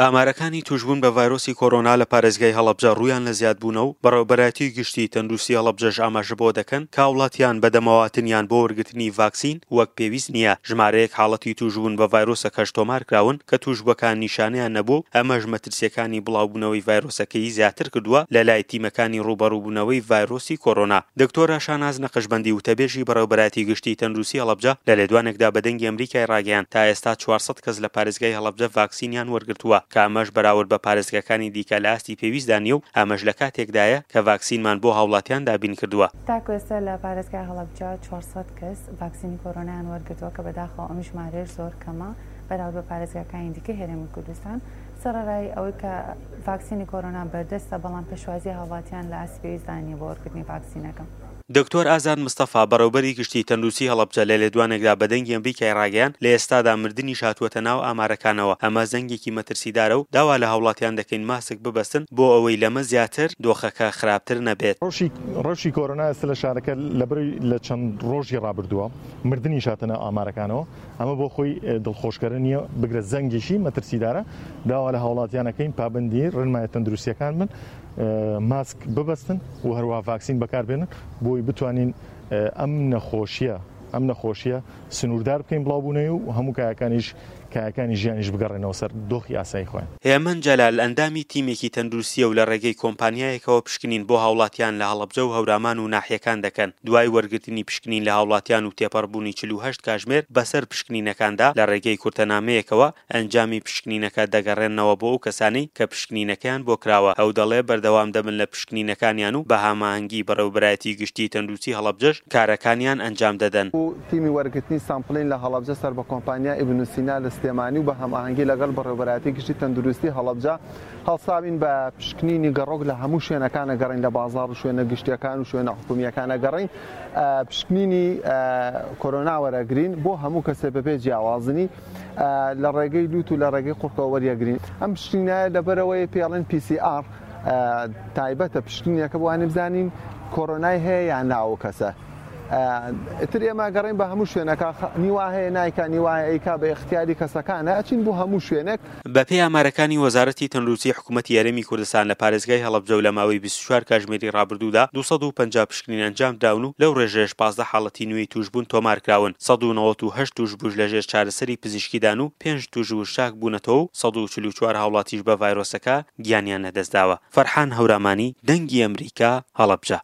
ئامارەکانی تووشبوون بە ڤایرۆسی کۆرۆنا لە پارێزگای هەڵەبجە ڕوویان لە زیادبوونە و بەڕێوەبەرایەتی گشتی تەندروستی هەڵەبجەش ئاماژە بەوە دەکەن کە هاوڵاتیان بەدەمەوەهاتنیان بۆ وەرگرتنی ڤاکسین وەک پێویست نییە، ژمارەیەک حاڵەتی تووشبوون بە ڤایرۆسەکەش تۆمارکراون کە تووشبووەکان نیشانەیان نەبووە و ئەمەش مەترسییەکانی بڵاوبوونەوەی ڤایرۆسەکەی زیاتر کردووە لەلای تیمەکانی ڕووبەڕووبوونەوەی ڤایرۆسی کۆرۆنا. دکتۆرە شاناز نەقشبەندی وتەبێژی بەڕێوەبەرایەتی گشتی تەندروستی هەڵەبجە لە لێدوانێکدا بە دەنگی ئەمریکای ڕاگەیاند تا ئێستا 400 کەس لە پارێزگای هەڵەبجە ڤاکسینیان وەرگرتووە کە ئەمەش بەراورد بە پارێزگاکانی دیکە لە ئاستی پێویستدا نییە و ئەمەش لە کاتێکدایە کە ڤاکسینمان بۆ هاوڵاتیان دابین کردووە. تاکو ئێستا لە پارێزگای هەڵەبجە 400 کەس ڤاکسینی کۆرۆنایان وەرگرتووە کە بەداخەوە ئەم ژمارەیەش زۆر کەمە بەراورد بە پارێزگاکانی دیکەی هەرێمی کوردستان. سەڕەرای ئەوەی کە ڤاکسینی کۆرۆنا بەردەستە، بەڵام پێشوازی هاوڵاتیان لە ئاستی پێویستدا نییە بۆ وەرگرتنی ڤاکسینەکە. دکتۆر ئازاد مستەفا، بەڕێوبەری گشتی تەندروستی هەڵەبجە لە لێدوانێکدا بە دەنگی ئەمریکای ڕاگەیاند، لە ئێستادا مردنیش هاتووەتە ناو ئامارەکانەوە، ئەمە زەنگێکی مەترسیدارە و داوا لە هاوڵاتیان دەکەین ماسک ببەستن بۆ ئەوەی لەمە زیاتر دۆخەکە خراپتر نەبێت. ڕەوشی کۆرۆنا ئێستا لە شارەکە لەبەرەی لە چەند ڕۆژی ڕابردووە مردنیش هاتە ناو ئامارەکانەوە، ئەمە بۆ خۆی دڵخۆشکەرە نییە، بگرە زەنگێکی مەترسیدارە، داوا لە هاوڵاتیان ئەکەین پابەندی ڕێنمایە تەندروستییەکان بن، ماسک ببەستن و هەروەها ڤاکسین بەکاربێنن بۆی بتوانین ئەم نەخۆشیە ئەم نەخۆشیە سنووردار بکەین بڵاوبوونەوەی و هەموو کایەکانیش کایەکانی ژیانیش بگەڕێنەوە سەر دۆخی ئاسایی خۆیان. هێمن جەلال، ئەندامی تیمێکی تەندروستییە و لە ڕێگەی کۆمپانیایەکەوە پشکنین بۆ هاوڵاتیان لە هەڵەبجە و هەورامان و ناحیەکان دەکەن، دوای وەرگرتنی پشکنین لە هاوڵاتیان و تێپەڕبوونی 48 کاژمێر بەسەر پشکنینەکاندا، لە ڕێگەی کورتەنامەیەکەوە ئەنجامی پشکنینەکە دەگەڕێننەوە بۆ ئەو کەسانەی کە پشکنینەکەیان بۆ کراوە، ئەو دەڵێ بەردەوام دەبن لە پشکنینەکانیان و بە هاماهەنگی بەڕێوەبەرایەتی گشتیی تەندروستی هەڵەبجەش کارەکانیان ئەنجام دەدەن. تیمی وەرگرتنی sampling لە هەڵەبجە سەر بە کۆمپانیای ئیبن سینا لە سلێمانی و بە هەماهەنگی لەگەڵ بەڕێوەبەرایەتی گشتی تەندروستی هەڵەبجە هەڵساوین بە پشکنینی گەڕۆک لە هەموو شوێنەکان ئەگەڕین لە بازاڕ و شوێنە گشتیەکان و شوێنە حکومییەکان ئەگەڕین پشکنینی کۆرۆنا وەرەگرین بۆ هەموو کەسێ بەبێ جیاوازنی لە ڕێگەی لوت و لە ڕێگەی قوڕکەوە وەریەگرین ئەم پشکنینایە لەبەرەوەی پێڵێن PCR تایبەتە پشکنینەکە بۆ بزانین کۆرۆنای هەیە یان نا ئەو کەسە ئیتر ئێمە گەڕین بە هەموو شوێنەکە نیوا هەیە نایکا نیوا هەیە ئەیکا بە ئیختیاری کەسەکانە ئەچین بۆ هەموو شوێنێک. بەپێی ئامارەکانی وەزارەتی تەندروستی حکومەتی هەرێمی کوردستان لە پارێزگای هەڵەبجە و لە ماوەی 24 کاژمێری ڕابردوودا 250 پشکنین ئەنجامدراون و لەو ڕێژەیەش 15 حاڵەتی نوێی تووشبوون تۆمارکراون، 198 تووشبووش لەژێر چارەسەری پزیشکیدان و پێنج تووشبووش چاکبوونەتەوە و 144 هاوڵاتیش بە ڤایرۆسەکە گیانیان لەدەستداوە. فەرحان هەورامانی، دەنگی ئەمریکا، هەڵەبجە.